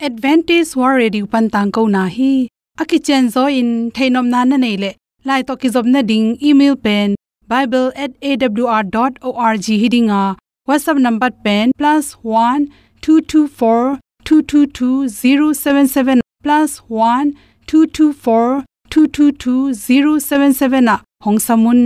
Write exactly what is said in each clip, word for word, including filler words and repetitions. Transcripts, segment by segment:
Adventist World Radio pan tangkona hi. A kicianzaw in theihnopna na neih leh, lai tawh kizopna ding email pen bible at A W R dot org hi ding a, WhatsApp number pen plus one two two four two two two zero seven seven, plus one two two four two two two zero seven seven ah hong sam un.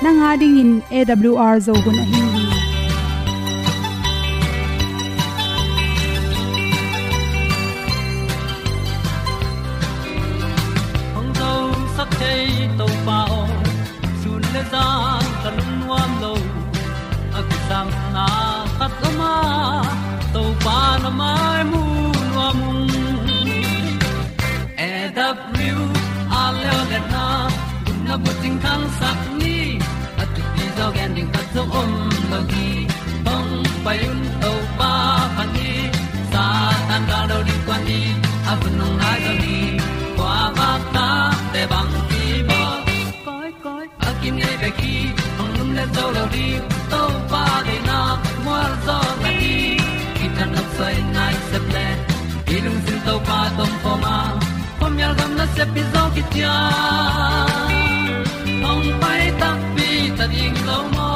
Nang a dingin A W R Zo hun ahi hi. Hong zosak thei Topa aw, sun le zan ka lungnuam lo. A kisapna khat om a, Topa na mai mu nuam ung. A W R Leo le na, gupna bucing thangsak ni, a thupi zaw gen ding khat zong om lo hi. Hong pai un Topa phat ni, Satan gal do ding kuan ni, a hun hong nai zaw ni, kua vak ta te bang ki bawl. Koi, koi, a kinei bek hi, hong lum le zo lo ding, Topa deihna mual zaw na hi. Kithat nop soi nai sep le, i lungsim Topa tawh om khawm a, khuamial gam nasep hi zaw kician. Hong pai takpi ta ding lo maw?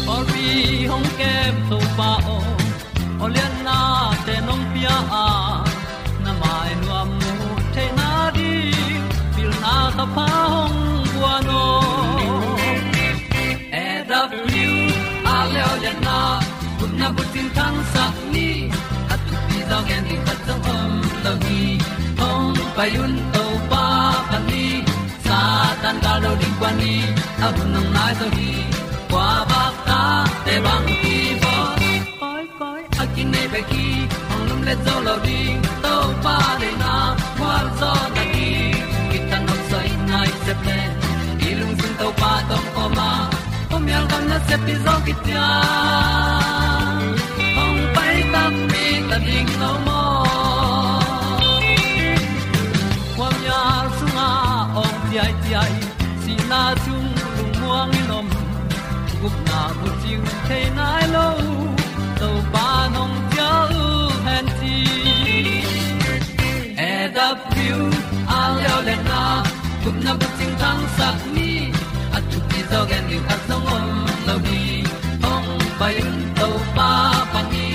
Pawlpi hong kem Topa aw, aw liannate nong pia a, na mai nuam mu theihna ding pilna thapha hong guan aw. A W R Leo le na, gupna bucing thangsak ni, a thupi zaw gen ding khat zong om lo hi. Hong pai un Topa phat ni, Satan gal do ding kuan ni, a hun hong nai zaw hi. Kua vak ta te bang ki bawl. Koi, koi, a kinei bek hi, hong lum le zo lo ding, Topa deihna mual zaw na hi. Kithat nop soi nai sep le, i lungsim Topa tawh om khawm a, khuamial gam nasep hi zaw kician. Hong pai takpi ta ding lo maw? Khuamial sungah awng ciaiciai, sihna sung lungmuang in om, gupna bucing thei nai lo, Topa nong ciah uh hen ci. A W R Leo le na, gupna bucing thangsak ni, a thupi zaw gen ding khat zong om lo hi. Hong pai un Topa phat ni,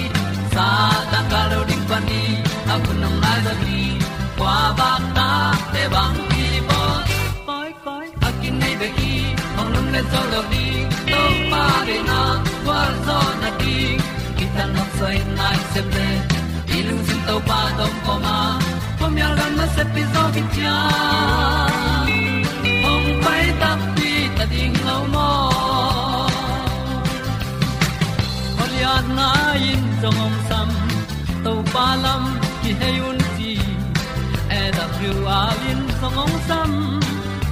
Satan gal do ding kuan ni, a hun hong nai zaw hi. Kua vak ta te bang ki bawl. Koi, koi, a kinei bek hi, hong lum le zo lo ding, Topa deihna mual zaw na ding. Kithat nop soi nai sep le, i lungsim Topa tawh om khawm a, khuamial gam nasep hi zaw kician. Hong pai takpi ta ding lo maw? Aw liatna in zong hong sam, Topa lam kihei un ci. A W R in zong hong sam,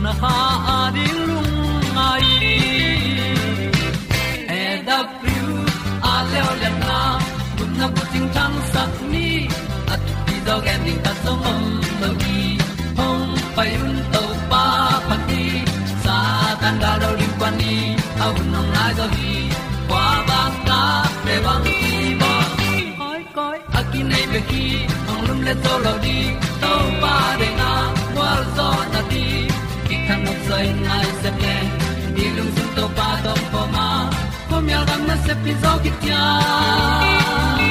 na kha a ding lungngai. A W R Leo le na, gupna bucing thangsak ni, a thupi zaw gen ding khat zong om lo hi. Hong pai un Topa phat ni, Satan gal do ding kuan ni, a hun hong nai zaw hi. Kua vak ta te bang ki bawl. Koi, koi, a kinei bek hi, hong lum le zo lo ding, Topa deihna mual zaw na ding. Kithat nop soi nai sep le, i lungsim Topa tawh om khawm a, khuamial gam nasep hi zaw kician.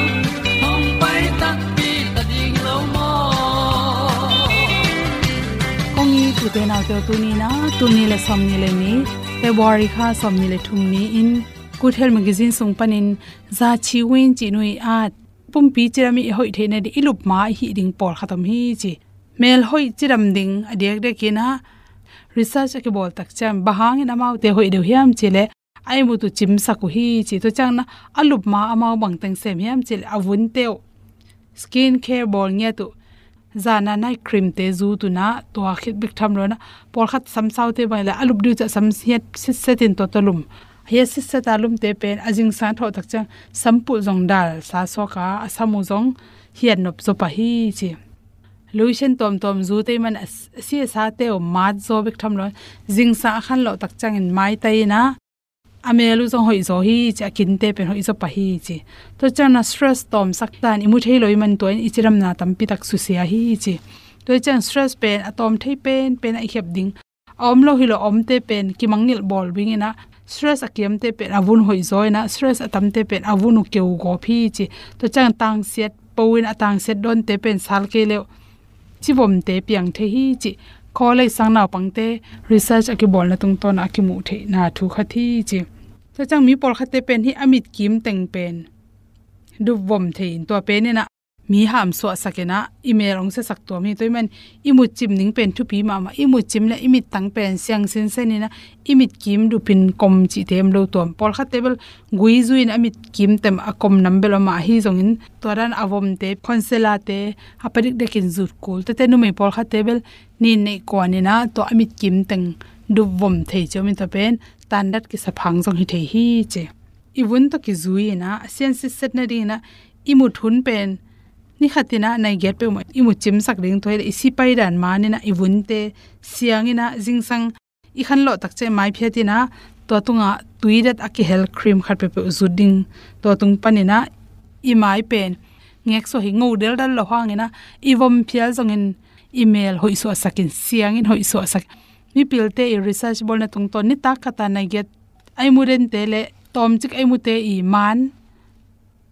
Hong pai takpi ta ding lo maw? Kong it u te nau te aw, tuni in ah, tul nih le sawmnih le nih, February kha sawmnih le thum ni-in, Good Health Magazine sung panin Za Chi Win cih nu i at, pumpi cidam i hoih theihna ding i lup ma i hih ding pawlkhat om hi ci. Mel hoih cidam ding a diakdiak in ah, research a kibawl tak ciang bang hangin amaute hoih deuh hiam cih leh a imut uh cimsak uh hi ci. Tua ciangin a lup ma amau bang teng sem hiam cih leh a vunte uh skin care bawl ngiat uh, zana night cream te zut uh in a, tua khit bek tham lo in a, pawlkhat samsaute bang leh a lup ding uh ciang sam hiat sitset in tua tawh lum. Hiat sitset a lumte pen a zingsang thawh tak ciang sampulh zong dal sa suak a, a sam uh zong hiat nop zaw pah hi ci. Lotion tuamtuam zut ei man a, a si a sate uh mat zaw bek tham lo in, zingsang a khanlawh tak ciangin maitai in a, a mel uh zong hoih zaw hi ci, a kinte pen hoih zaw pah hi ci. Tua ciangin a stress tawmsak dan i mu thei lo i man tua in i cidamna tampi tak susia hi ci. Tua ciang stress pen a tawm thei penpen a i khiap ding. A om lo hi lo a omte pen kimangngilh bawl ding in a, stress a kiamte pen a vun hoih zaw in a, stress a tamte pen a vun uh keu gawp hi ci. Tua ciang tangsiat po in a tangsiat dawnte pen sal kei leh civomte piang thei hi ci. College sang naupangte research a kibawlna tungtawn a kimuh theihna thu khat hi ci. Tua ciang mi pawlkhatte pen hih a mitkim teng pen dupvom thei in tua pen in a mi hamsuahsak in a i mel hong siasak tuam hi. Tua ahih man i mutcim ding pen thupi mahmah. I mutcim leh i mittang pen siang sinsen in a i mitkim dupin kom cihte om lo tuam. Pawlkhatte bel gui zui in a mitkim tem a kom nam bel om a, ahi zongin tua dan a vomte, concealer-te a padikdekin zut kul. Tuate numei pawlkhatte bel nin neih kuan in a tua a mitkim teng dupvom thei ci om in tua pen tandat kisa phang zong hi thei hi ci. I vun tawh kizui in a, a sian sitset nading in a, i mut hun pen ni khat in a nai giat peuhmah i mut cimsak ding tua hi leh i si pai dan man in a, i vunte siang in a, zingsang i khanlawh tak ciang mai phiat in a, tua tungah tuidat a kihel cream khat peuhpeuh zut ding. Tua tung pan in a i mai pen ngeksuah hi, ngo deldal lo hang in a, i vom phial zongin i mel hoih suahsak in, siang in hoih suahsak. Mipilte i research bawlna tungtawn nitak khat a nai giat a i mu dente leh tawmcik a i mute i man,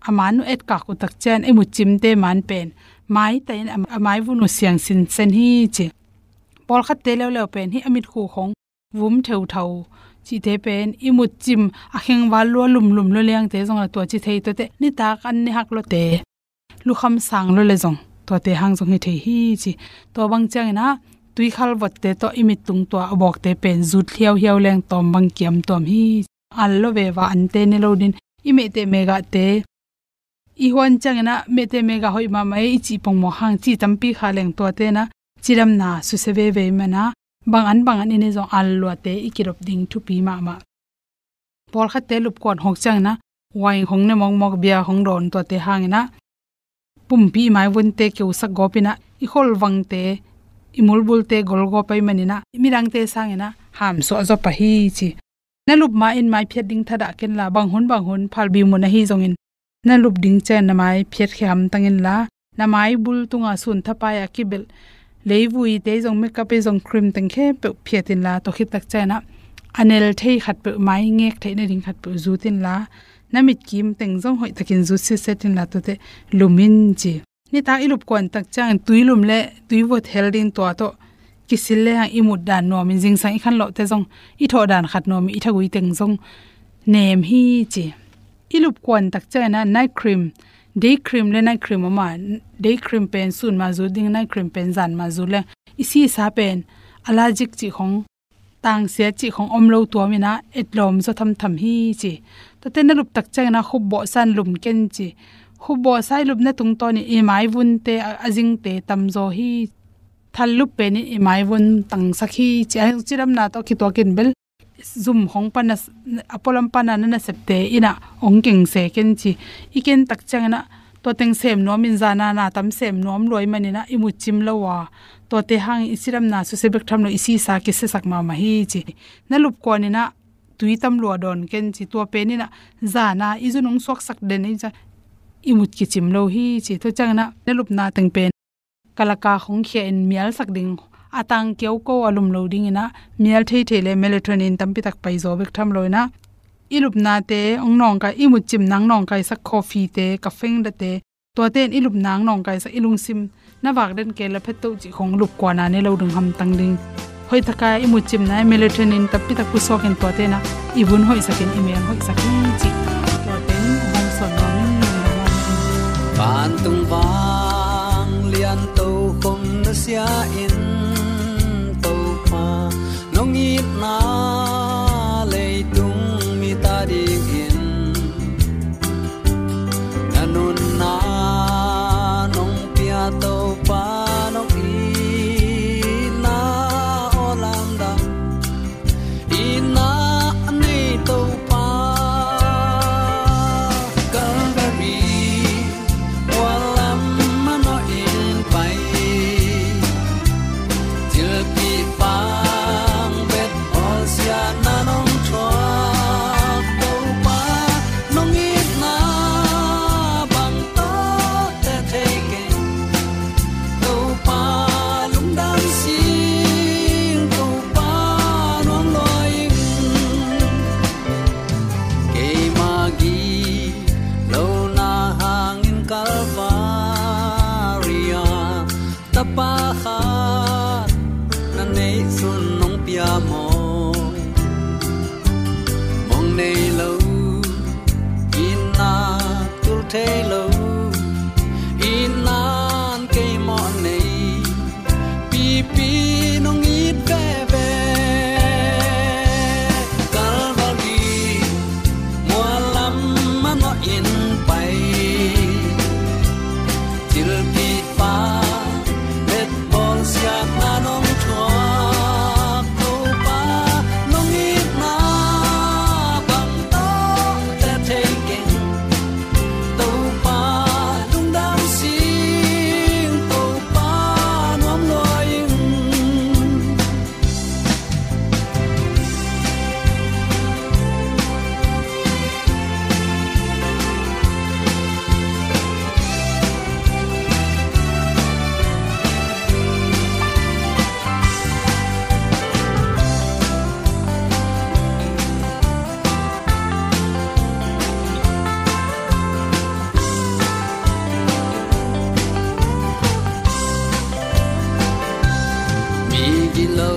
a man uh etkak uh tak ciang a i mutcimte man pen maitai in a, a maivun uh siang sinsen hi ci. Pawlkhatte leuleu pen hih a mitkhu khong vum theuthau cihte pen i mutcim a khengval lua lumlum lua liangte zong a tua ci thei tuate, nitak an ne hak luate, lukham sang lua leh zong tuate hang zong hi thei hi ci. Tua bang ciang in a tuikhal votte tawh i mittung tua a bawkte pen zut hiauhiau leng tawm bang kiam tuam hi. Al lua veva ante ne lo ding, i mehteh megahte i huan ciang in a mehteh megah hoih mahmah e i cih pongmawk hang ci tampi kha leng tuate in a cidamna susia veve ahih man a bang an bang an i ne zong al luate i kidop ding thupi mahmah. Pawlkhatte lupkuan hawk ciang in a wine hong ne mawkmawk, beer hong dawn tuate hang in a pumpi i maivunte keusak gawp in a i kholvangte, i mulbulte gol gawp ahih man in a midangte sang in a hamsuah zaw pah hi ci. Na lup ma in mai phiat ding thadah ken la, bang hun bang hun phalbi mun ahi zongin na lup ding ciang na mai phiat khia hamtang in la, na maibul tunga sun thapai a kibelh leivuite zong, makeup-te zong, cream teng khempeuh phiat in la, tua khit tak ciang in a a nel thei khat peuh, mai ngek theih nading khat peuh zut in la, na mitkim teng zong hoihtakin zut sitset in la, tuate lum in ci. Nitak i lupkuan tak ciangin tui lum leh tui vot hel ding tua tawh kisil lehang i mut dan nuamin zingsang i khanlawhte zong i thawh dan khat nuamin i thagui teng zong nem hi ci. I lupkuan tak ciangin a night cream, day cream leh night cream om a, day cream pen sun ma zut ding, night cream pen zan ma zut leng i sisa pen allergic cih khong, tangsiat cih khong om lo tuam in a etlawm zaw thamtham hi ci. Tuate na lup tak ciang in a khup bawhsa in lum ken ci. Khup bawhsa i lupna tungtawn in i maivunte a, a zingte tamzaw hi. Thal lup pen in i maivun tangsak hi ci. A cidamna tawh kituakin bel zum khong pan a, a pualam pan a na nasepte in a hong kengse ken ci. I ken tak ciang in a tua teng sem nuamin zana na tam sem nuam lua ahih man in a i mutcim lo a, tuate hangin i cidamna susia bek tham lo, i sisa kisiasak mahmah hi ci. Na lupkuan in a tui tam lua dawn ken ci, tua pen in a zana i zun hong suaksak den hi ci, i mut kicim lo hi ci. Tua ciang in a na lupna teng pen kalaka khong khia in mialsak ding, a tang kiauko a lum lo ding in a mial theithei leh melatonin tampi tak paizaw bek tham lo in a i lupnate hong nawngkai, i mutcimna hong nawngkaisak coffee-te, caffeine-te, tuate in i lupna hong nawngkaisak, i lungsim na vak den kei leh phetto cih khong lupkuan a ne lo ding hamtang ding. Hoihtakin i mutcimna melatonin tampi tak pusuak in tuate in a i vun hoihsak in i mel hoihsak hi ci. Tuate in hong sawn nuam in. Vantung vanglian tokhom na sia in, Topa Nei lo, itna tul thei lo, itna in kei mawh nei, pipi nong it veve. Calvary mual lam manawh in pai, thilpipa betbawl siatna nong thuak. Topa nong itna bang tawh te thei keng. Topa lungdam sing, Topa nuam lua ing. Mi gilo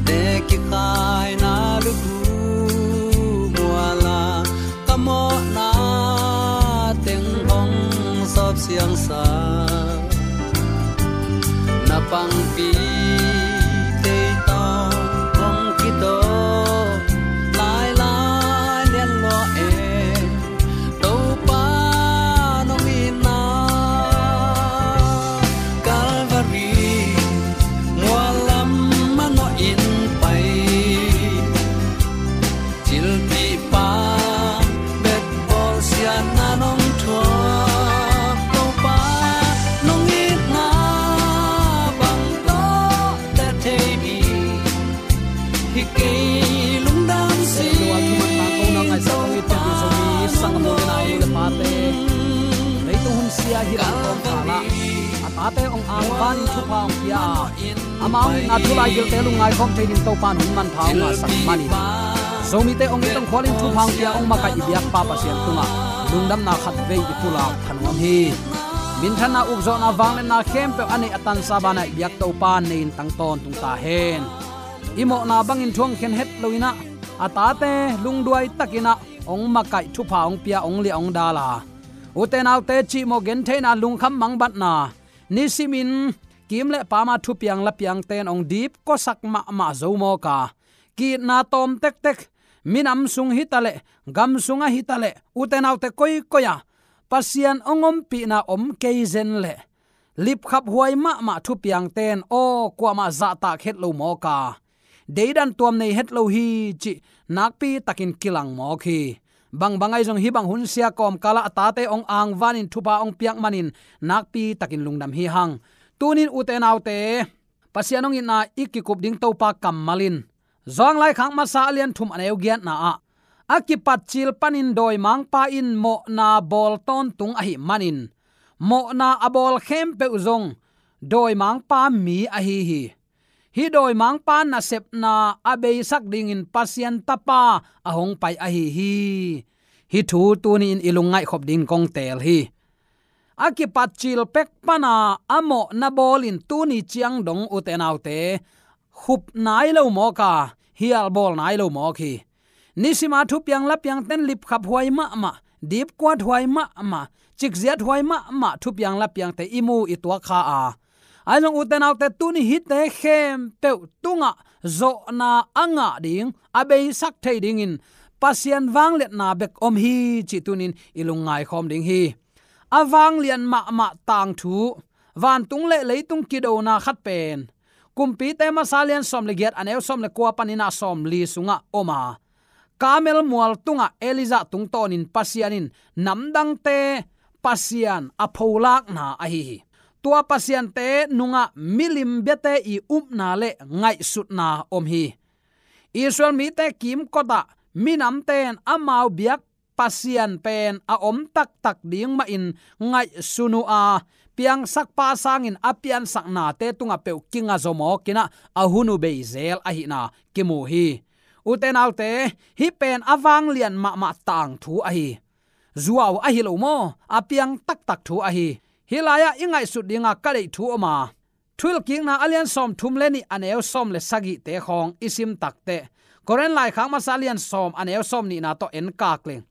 te kikhaina lutu muala, ka mawhna teng hong sawp siangsa. Na pangpi tei tawh hong kitawh lailai lian lua e. Topa nong itna Calvary mual lam manawh in pai, thilpipa betbawl siatna nong thuak. Topa nong itna bang tawh te thei mi hi kei, lungdam sing. Tua thuman tang ko na ngaihsak hong it pian Zomi sanggam nu le nau, nu le pate, leitung hun sia hi lam kawmkal ah a tate hong angvanin thupha hong pia a, amau itna thu laigilte lungngai khawm thei ding Topa in hun manpha hong ngahsak manin, Zomite hong it hong khualin thupha hong pia hong makaih i biakpa Pasian tungah lungdamna khatvei i pulak thanuam hi. Minthanna, ukzawhna, vangliatna khempeuh a neih a tansa banah i biak Topa in nei-in tang tawntung ta hen. I mawhna bangin thu hong khen het loin ah, a tate lungduai takin ah hong makaih, thupha hong pia, hong liah hong dal a, ute naute cihmawh gentheihna, lungkham mangbatna, nisimin kim le pam a thupiang lapiangte in hong dipkuasak mahmah zo mawk a, ki-itna tawm tektek, minam sung hi taleh, gam sungah hi taleh, ute naute koikoi ah Pasian hong ompihna om kei zen leh, lipkhaphuai mahmah thupiangte in aw kuamah zahtak het lo mawk a, deidan tuam nei het lo hi cih nakpi takin kilang mawk hi. Bangbang ahi zong hih bang hun sia kawmkal ah a tate hong angvanin thupha hong piak manin nakpi takin lungdam hi hang. Tunin ute naute, Pasian hong itna i kikup ding Topa kammal in, Johan laikhak masa a lian thum a neu giatna ah, a kipatcil panin dawimangpa in mawhna bawl tawntung ahih manin, mawhna a bawl khempeuh zong dawimangpa mi ahi hi. Hih dawimangpa nasepna a beisak dingin Pasian Tapa a hong pai ahi hi. Hih thu tuni-in i lungngaihkhop dingin kong teel hi. A kipatcil pek pana a mawhna bawlin tuni ciang dong, ute naute, khup nai lo mawk a, hial bawl nai lo mawk hi. Nisima thupiang lapiangte in lipkhaphuai mahmah, dipkuathuai mahmah, cikziathuai mahmah thupiang lapiangte i mu i tuak kha a, ahi zong ute naute, tuni hihte khempeuh tungah zawhna a ngah ding, a beisak thei dingin Pasian vangliatna bek om hi cih tunin i lungngai khawm ding hi. A vanglian mahmah tangthu, vantung le leitung kidona khat pen Kumpite masa lian sawm le giat a neu sawm le kua panin ah sawmli sungah om a, Karmel mual tungah Elijah tungtawnin Pasian in namdangte pasian a pholakna ahi hi. Tua pasiante nungah milim biate i upna le ngaihsutna om hi. Israel mite kimkotah minamte in amau biak Pasian pen a om taktak ding mahin ngaihsun uh a, piangsakpa sangin a piansaknate tungah peuh kinga zaw mawk in ah a hun uh bei zel ahihna kimu hi. Ute naute, hih pen a vanglian mahmah tangthu ahi. Zuau ahi lo maw, a piang taktak thu ahi. Hih lai-ah i ngaihsut dinga ka deih thu om a, Thuhilhkikna a lian sawmthum le nih a neu sawm le sagihte khawng i sim takteh, Korin laikhak masa lian sawm a neu sawm nihna tawh en kak leng,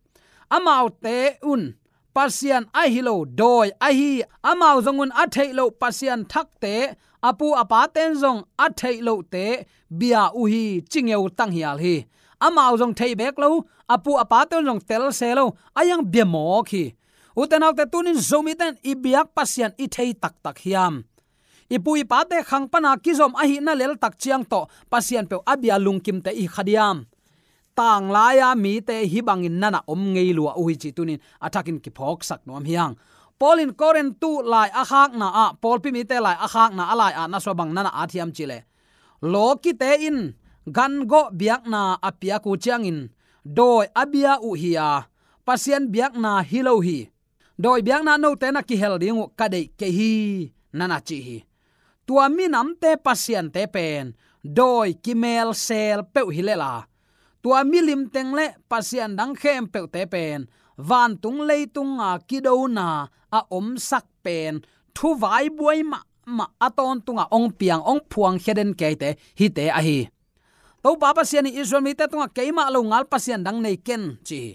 amaute un Pasian ahi lo dawi ahi, amau zong un a theih loh Pasian thakte, a pu a pate in zong a theih lohte bia uh hi, ci ngeu tanghial hi. Amau zong thei bek lo, a pu a pate un zong tel se lo, a iang bia mawk hi. Ute naute, tunin Zomite in i biak Pasian i thei taktak hiam? I pu i pate khang pana kizom ahihna leltak ciang tawh Pasian peuh a bia lungkimte i kha diam? Tanglai-a mite hih bangin nana om ngei lua uh hi cih tunin a thakin kiphawksak nuam hi hang. Paul in Korintu lai a khakna ah, Pawlpi mite lai a khakna a lai-ah na sua bang nana at hiam cih leh, lawkite in gangawh biakna a piak uh ciangin dawi a bia uh hi a, Pasian biakna hi lo hi. Dawi biakna note na kihel ding uh ka deih kei hi, nana ci hi. Tua minamte pasiante pen dawi kimelsel peuh hi lel a, tua milim teng le pasian dang khempeuhte pen vantung leitunga kidona a omsak pen thuvaibuai mahmah a tawntunga ong piang, ong phuangkhia den keite hite ahi. Topa Pasian in Israel mite tungah keimah lo ngal pasian dang nei ken, ci hi.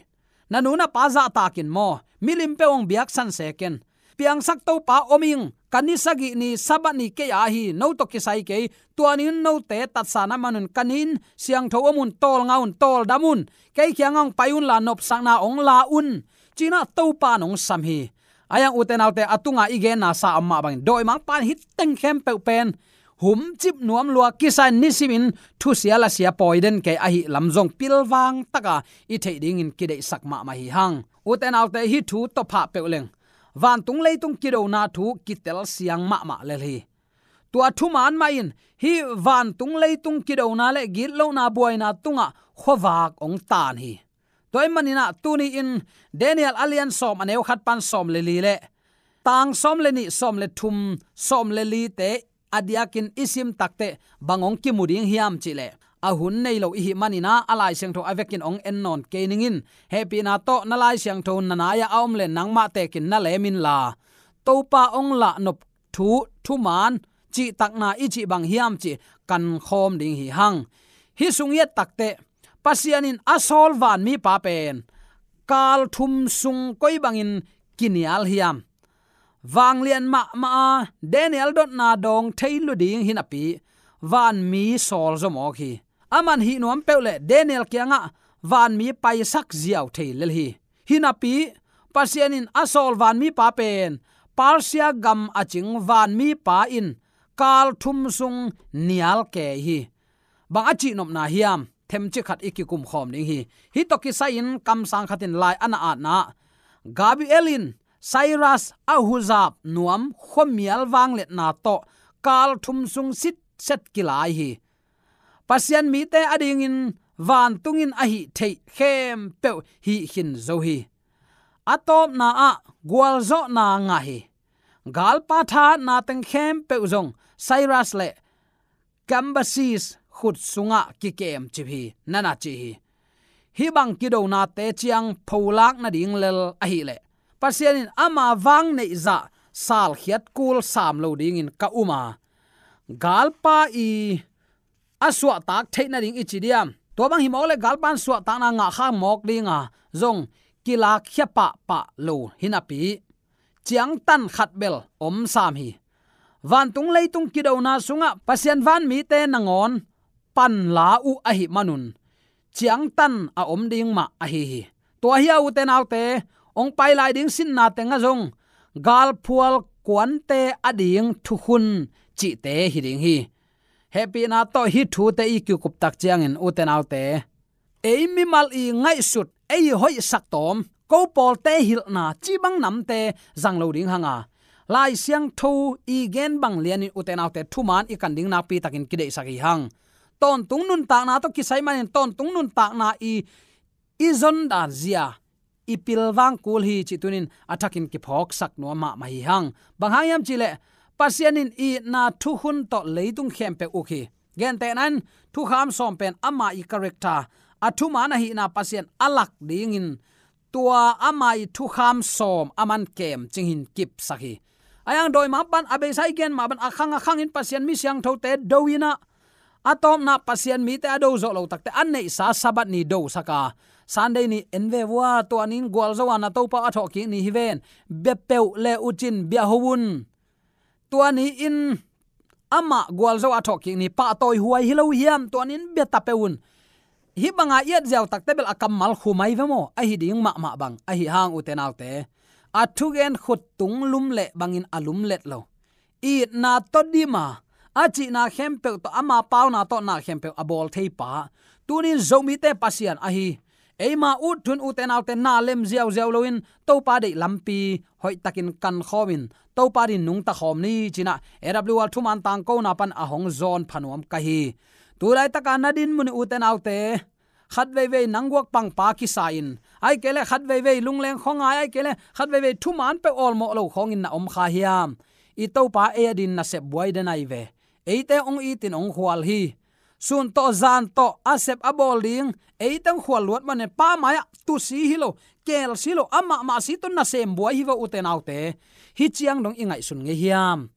Na nu na pa zahtakin maw, milim peuh ong biaksan se ken. Piangsak Topa om ing, ka ni sagih ni Sabbath ni kei a hi, no tawh kisai kei, tua ni-in note tatsa na man un ka ni-in siangtho om un, tawlnga un, tawldam un, kei kiangah ong pai unla nopsakna ong la un, ci-in ah Topa in ong sam hi. Ahi hang ute naute, a tunga i genna sa om mah bangin dawimangpa in hih teng khempeuh pen humcip nuam lua, kisai-in nisimin thusia lasia pawi den kei ahih lam zong pilvang taka i theih dingin kideihsak mahmah hi hang. Ute naute, hih thu tawh phah peuh leng vantung leitung kidona thu kitel siang mahmah lel hi. Tua thumaan mah in hih vantung leitung kidona le gitlohna buaina tungah khuavak ong taan hi. Tua ahih manin ah tuni-in Daniel a lian sawm a neu khat pan sawm le li le tang sawm le nih, sawm le thum, sawm le lite a diakin i sim takteh bang ong kimu ding hiam cih leh, a hun nei lo i hih manin ah a Lai Siangtho a vekin ong en nawn kei ning in, hehpihna tawh na Lai Siangtho na nai-ah a om le nangmah tekin na lem inla, Topa ong lahnop thu, thumaan, cihtakna i cih bang hiam cih kan khawm ding hi hang. Hih sung i et takteh Pasian in a sawl vanmipa pen kal thum sung koi bangin kinial hiam? Vanglian mahmah a Daniel dotna dawng thei lo ding hi napi, vanmi sawl zaw mawk hi. Aman hih nuam peuh leh Daniel kiangah vanmi paisak ziau thei lel hi. Hi napi, Pasian in a sawl vanmipa pen Persia gam a cing vanmipa in kal thum sung nial kei hi. Bang a cihnopna hiam? Themcik khat i kikum khawm ding hi. Hih tawh kisai-in kamsang khat in lai a na atna ah, Gabriel in Cyrus a huzap nuam khuamial vangliatna tawh kal thum sung sitset kilai hi. Pasian mite adingin vantung in a hih theih khempeuh hih khin zo hi. A tawpna ah gualzawhna ngah hi. Galpa thahatna teng khempeuh zong Cyrus le Cambyses khut sungah kikemcip hi, nana ci hi. Hih bang kidonate ciang pholak nading lel ahih leh Pasian in ama vang neihzah salkhiat kul sam lo dingin ka um a, galpa i a suahtak theih nading i ci diam? Tua bang hi mawk leh galpa in suahtakna ngah kha mawk ding a, zong kilakkhia pahpah lo hi napi, ciangtan khat bel om sam hi. Vantung leitung kidona sungah Pasian vanmite nangawn panla uh ahih manun ciangtan a om ding mah ahi hi. Tua hi a, ute naute, ong pai lai ding sinna tengah zong galphual kuante ading thukhun cihte hi ding hi. Hehpihna tawh hih thute i kikup tak ciangin, ute naute, ei mimal i ngaihsut, ei hoihsak tawm, ko pawlte hilhna cih bang namte zang lo ding hang a, Lai Siangtho i gen bang lianin, ute naute, thumaan i kan ding nakpi takin kideihsak hi hang. Tawntung nuntakna tawh kisai manin tawntung nuntakna i i zondan zia i pilvang kul hi cih tunin a thakin kiphawksak nuam mahmah hi hang. Bang hang hiam cih leh Pasian in itna thukhun tawh leitung khempeuh uk hi. Gentehna in thukham sawm pen ama i character, a thumaan ahihna Pasian a lak dingin tua ama i thukham sawm a man kemcing hin kipsak hi. Ahi hang dawimangpa in a beisa i gen mah bang a khang a khangin Pasian mi siangthote do in ah, A tawpna Pasian mite a do zawh lo takte a neihsa Sabbath ni dosak a, Sunday ni en ve vua, tua ni in gualzo a na Topa a thawhkik ni hi ven, bia peuh le uh cin bia ho un. Tua ni in amah gualzo a thawhkik ni pahtawi huai hi lo hiam, tua ni in bia ta peuh un. Hih banga i et ziau takte bel a kammal khum ahi ve maw, ahi ding mahmah bang ahi hang ute naute, a thugen khut tung lumlet bangin a lumlet lo. Itna tawh dim a, a cihna khempeuh tawh, ama pauna tawh na khempeuh a bawl thei pa, tuni in Zomite Pasian ahi. Eima ut thu in ute naute na lem ziauziau loin Topa deih lampi hoihtakin kankhawmin Topa din nungta khawm ni ci-in ah A W R thuman tangkona pan a hong zawn pha nuam ka hi. Tu laitaka na din mun in ute naute, khat veivei nang guak pangpa kisa in, ahih kei leh khat veivei lungleng khuangai, ahih kei leh khat veivei thuman peuh awlmawh lo khawngin na om kha hiam? I Topa ei a din nasep buai den ahi ve. Eite hong itin hong khual hi. Sun tawh zan tawh a sep a bawl ding, eite hong khual luat manin Pa mai-ah tusi hi lo, kelsi lo, amah mah si tawh nasem buai hi ve ute naute. Hih ciang dong i ngaihsun ngei hiam?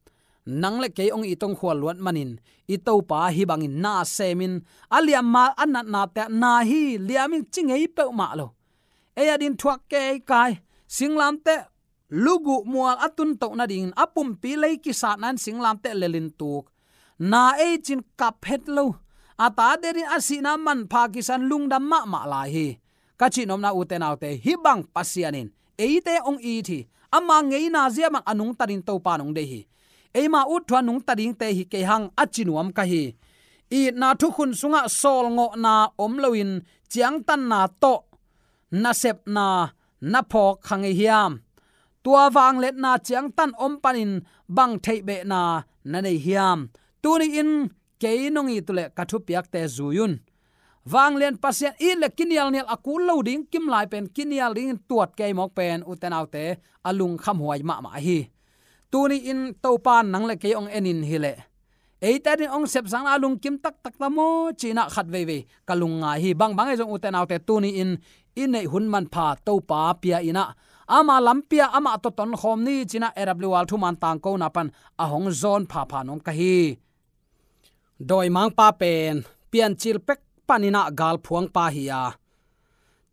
Nang le kei hong it hong khual luat manin i Topa hih bangin na semin, a liammal a natnate ah na hi liamin ci ngei peuhmah lo. Ei a din thuak keikai, singlamteh luguh mual a tuntoh nadingin a pumpi lei kisatna in singlamteh lelin tuk. Na ei cin kap het lo. A tate din a sihna manpha kisa in lungdam mahmah lai hi. Ka cihnopna ute naute, hih bang Pasian in eite hong it hi. Ama ngeina zia bang a nungta ding Topa in hong deih hi. Eima ut thu a nungta dingte hi kei hang a ci nuam ka hi. Itna thukhun sungah sawlngawhna om loin ciangtanna tawh nasepna na phawk kha ngei hiam? Tua vangliatna ciangtan om panin bang theihbehna na nei hiam? Tuni in kei nong it uh leh ka thupiakte zui un. Vanglian Pasian it le kinialnial a kul lo ding kimlai pen, kinial dingin tuat kei mawk pen ute naute, a lungkhamhuai mahmah hi. Tuni in Topa in nang le kei hong enin hi leh, eite din hong sepsakna a lungkim taktak ta maw ci-in ah khat veivei ka lungngai hi. Bangbang ahi zong ute naute, tuni in i neih hun manpha Topa pia in ah, ama lampi ah amah tawh tonkhawm ni ci-in ah A W R thuman tangkona pan a hong zawn phapha nuam ka hi. Dawimangpa pen Piancil pek panin ah galphuangpa hi a,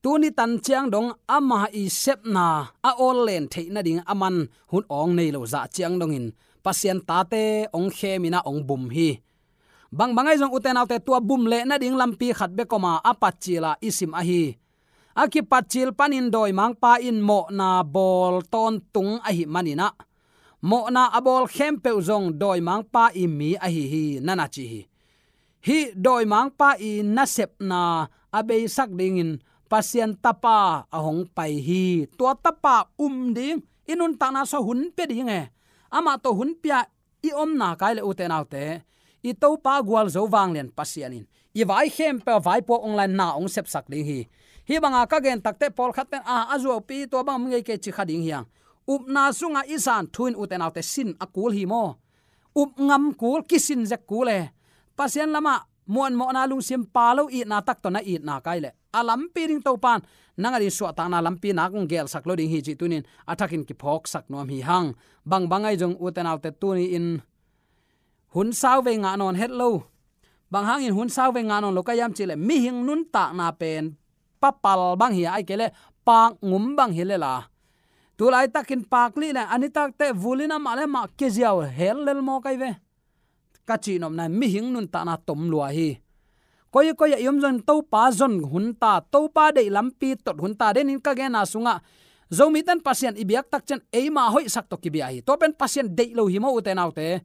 tuni tan ciang dong ama i sepna a awl len theih nading a man hun awng nei lo zah ciang dongin Pasian tate hong khemin ah hong bum hi. Bangbang ahi zong ute naute, tua bum leh nading lampi khat bek om a, a patcil a i sim ahi. A kipatcil panin dawimangpa in mawhna bawl tawntung ahih manin ah, mawhna a bawl khempeuh zong dawimangpa i mi ahi hi, na na ci hi. Hih dawimangpa i nasepna a beisak dingin Pasian Tapa a hong pai hi. Tua Tapa um ding, i nuntakna sungah hun pia ding e. Amah tawh hun pia i om nak leh ute naute, i Topa gualzo vanglian Pasian in i vai khempeuh a vaipuak hong la-in na hong sepsak ding hi. Hih banga ka gen takte pawlkhat ten a, a zuaupi tua bang om ngei kei ci kha ding hi hang. Upna sungah i zan thu in ute naute sin a kul hi maw? Up ngam kul, kisin zek kul e. Pasian lamah muanmawhna lungsim pha lo, itna tak tawh na it nak leh, a lampi ding Topa in nang a din suahtakna lampi nak hong gelsak lo ding hi cih tuni in a thakin kiphawksak nuam hi hang. Bangbang ahi zong ute naute, tuni in hun sauvei ngah nawn het lo. Bang hangin hun sauvei ngah nawn lo ka hiam cih leh, mihing nuntakna pen papal bang hi a, ahih kei leh pakngum bang hi lel a. Tu laitakin pakli leh a nitak teh vul in amah le amah kiziau hel lel maw kai ve. Ka cihnopna, mihing nuntakna tom lua hi. Koikoi ah i om zongin Topa zon hun ta, Topa deih lampi tot hun ta. Denin ka genna sungah Zomite in Pasian i biak tak ciang eima hoihsak tawh kibia hi. Tua pen Pasian deih lo hi maw ute naute?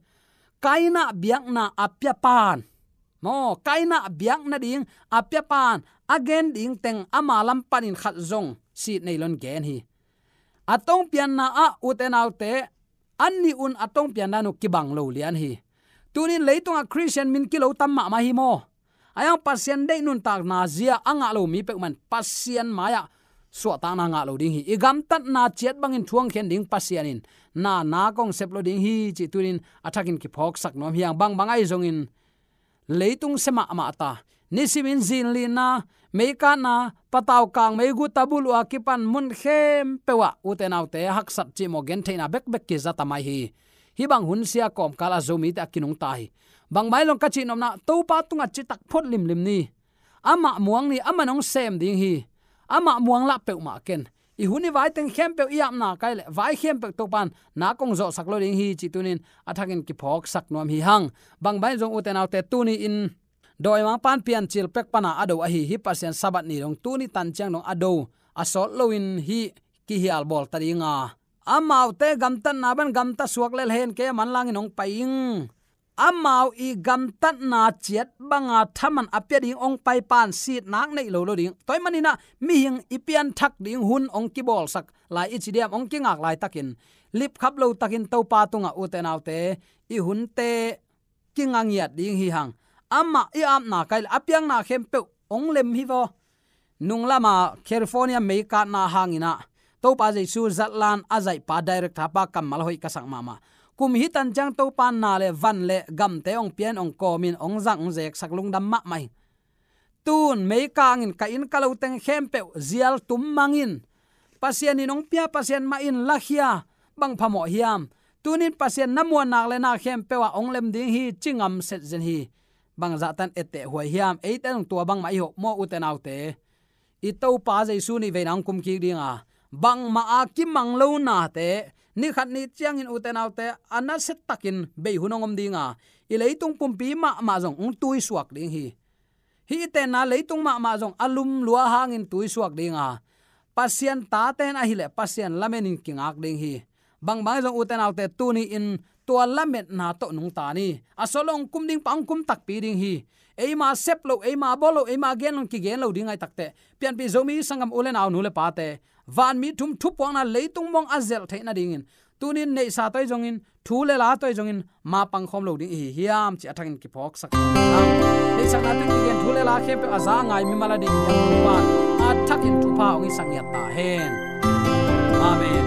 Kaina biakna a piapa in maw, Kaina biak nading a piapa in a gen ding teng ama lam panin khat zong sit nei loin gen hi. A tongpianna ah ute naute, a nih un a tongpian dan uh kibang lo lian hi. Tuni in leitungah Khristian min kilo tam mahmah hi maw? Ahi hang Pasian deih nuntakna zia a ngah lo mi peuhmah in Pasian mai-ah suahtakna ngah lo ding hi. I gamtatna ciat bangin thu hong khen ding Pasian in na nak hong sep lo ding hi cih tuni in a thakin kiphawksak nuam hi hang. Bangbang ahi zongin leitung sia mahmah ta, nisimin zinlinna, meikatna, patau kang meiguta bulh uh a kipan mun khempeuh ah ute naute, haksat cihmawh gentheihna bekbek kiza ta mai hi. Hih bang hun sia kawmkal ah Zomite a kinungta hi. Bang mah zong ka cih nopna, Topa tungah citak phot limlim ni. Amah muang ni, amah nong sem ding hi. Amah muang lah peuhmah ken. I hun i vai teng khempeuh i apna kai leh vai khempeuh Topan na kong zawhsak lo ding hi cih tunin a thakin kiphawksak nuam hi hang. Bang mah zong ute naute, tuni in dawimangpa'n Piancil pek pana a do ahi hi Pasian Sabbath ni dong tuni tan ciang dong a do a sawt loin hih kihial bawl ta ding a, amaute gamtatna bang gamta suak lel hen, kei a manlangin hong pai ing. Amau i gamtatna ciat banga thaman a pia ding hong paipa'n sitnak nei lo lo ding. Tua ahih manin ah mihing i pianthak ding hun hong kibawlsak lai i ci diam, hong kingak laitakin lipkhap lotakin Topa tungah ute naute, i hunte kinga ngiat ding hi hang. Amah i apna kai leh a piakna khempeuh hong lem hi vaw. Nung lama California meikatna hangin ah Topa Jesu zatlan a zaihpa director pa kammal hoih ka sak mahmah. Kum hi tan ciang Topa na le van le gamte hong pia'n hong kawmin hong zang hong zeksak lungdam mahmah hi. Tun meikangin ka inn ka lo teng khempeuh zial tum mangin, Pasian in hong pia, Pasian mah in lakhia, bang phamawh hiam? Tunin Pasian na muannak le na khempeuh ah hong lem ding hi ci ngam setzen hi. Bangzah tan etteh huai hiam? Eite zong tua bangmah i hoh maw ute naute. I Topa Jesu nih veina hong kum kik ding a, bangmah a kimang lo nate nikhat ni ciangin ute naute a nasiatakin bei hun hong om ding a, i leitung pumpi mahmah zong hong tuisuak ding hi. Hih i tenna leitung mahmah zong a lum lua hangin tuisuak ding a, Pasian tate'n ahih leh Pasian lamenin kingak ding hi. Bang bang zong ute naute, tuni in tua lametna tawh nungta ni. A sawt lo hong kum ding pa hong kum takpi ding hi. Eima sep lo, eima bawl lo, eima gen lo, kigen lo ding ahih takteh, pianpih Zomi sanggam u le nau, nu le pate, vanmi thum thupuakna leitung mawng a zelh theih nadingin tunin neihsa tawh hi zongin, thu le la tawh hi zongin ma pangkhawm lo ding i hi hiam cih a thakin kiphawksak. Neihsakna tawh kigen thu le la khempeuh a za a ngai mimal a ding hiam, Topa a thakin thupha hong hisak ngiat ta hen. Amen.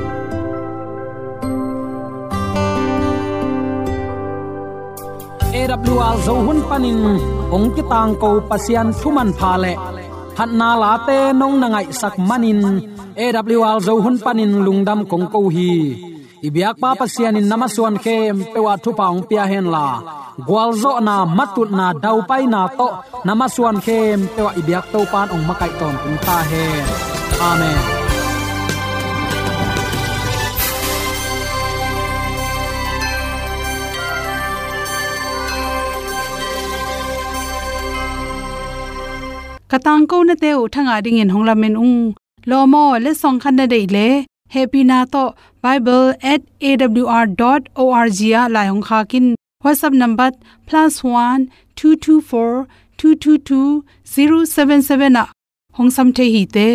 A W R Zo hun panin hong kitangko Pasian thu manpha le phatna late nong na ngaihsak manin A W R Zo hun panin lungdam kong ko hi. I biakpa Pasian in na masuan khempeuh ah thupha hong pia henla, gualzawhna, matutna, daupaina tawh na masuan khempeuh ah i biak Topa'n hong makaih tawntung ta hen. Amen. Ka tangkonate uh thangah dingin hong lamen ung. Lawm aw, letsong khat na deih leh hehpihna tawh bible at A W R dot O R G ah lai hong khak in. WhatsApp number plus one two two four two two two zero seven seven ah hong sam thei hi te.